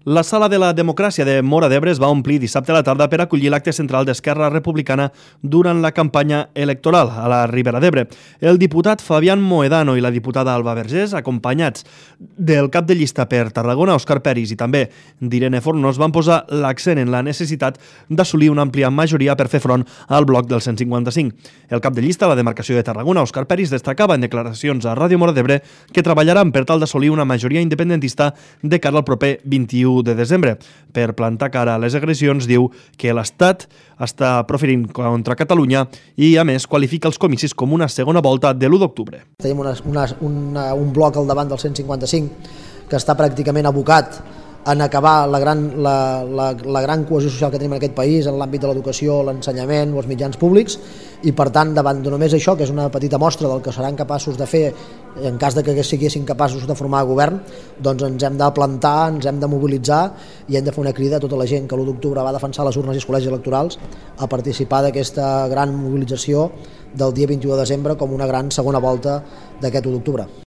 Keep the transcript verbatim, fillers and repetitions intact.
La sala de la democràcia de Móra d'Ebre es va omplir dissabte a la tarda per acollir l'acte central d'Esquerra Republicana durant la campanya electoral a la Ribera d'Ebre. El diputat Fabián Mohedano i la diputada Alba Vergés, acompanyats del cap de llista per Tarragona, Òscar Peris, i també d'Irene Fornos, van posar l'accent en la necessitat d'assolir una àmplia majoria per fer front al bloc del cent cinquanta-cinc. El cap de llista a la demarcació de Tarragona, Òscar Peris, destacava en declaracions a Ràdio Móra d'Ebre que treballaran per tal d'assolir una majoria independentista de cara al proper vint-i-u de desembre. Per plantar cara a les agressions, diu que l'Estat està proferint contra Catalunya i, a més, qualifica els comicis com una segona volta de l'u d'octubre. Tenim una, una, una, un bloc al davant del cent cinquanta-cinc que està pràcticament abocat en acabar la gran, la, la, la gran cohesió social que tenim en aquest país en l'àmbit de l'educació, l'ensenyament o els mitjans públics, i per tant davant de només això, que és una petita mostra del que seran capaços de fer en cas de que siguessin capaços de formar govern, doncs ens hem de plantar, ens hem de mobilitzar i hem de fer una crida a tota la gent que l'u d'octubre va defensar les urnes i els col·legis electorals a participar d'aquesta gran mobilització del dia vint-i-u de desembre com una gran segona volta d'aquest u d'octubre.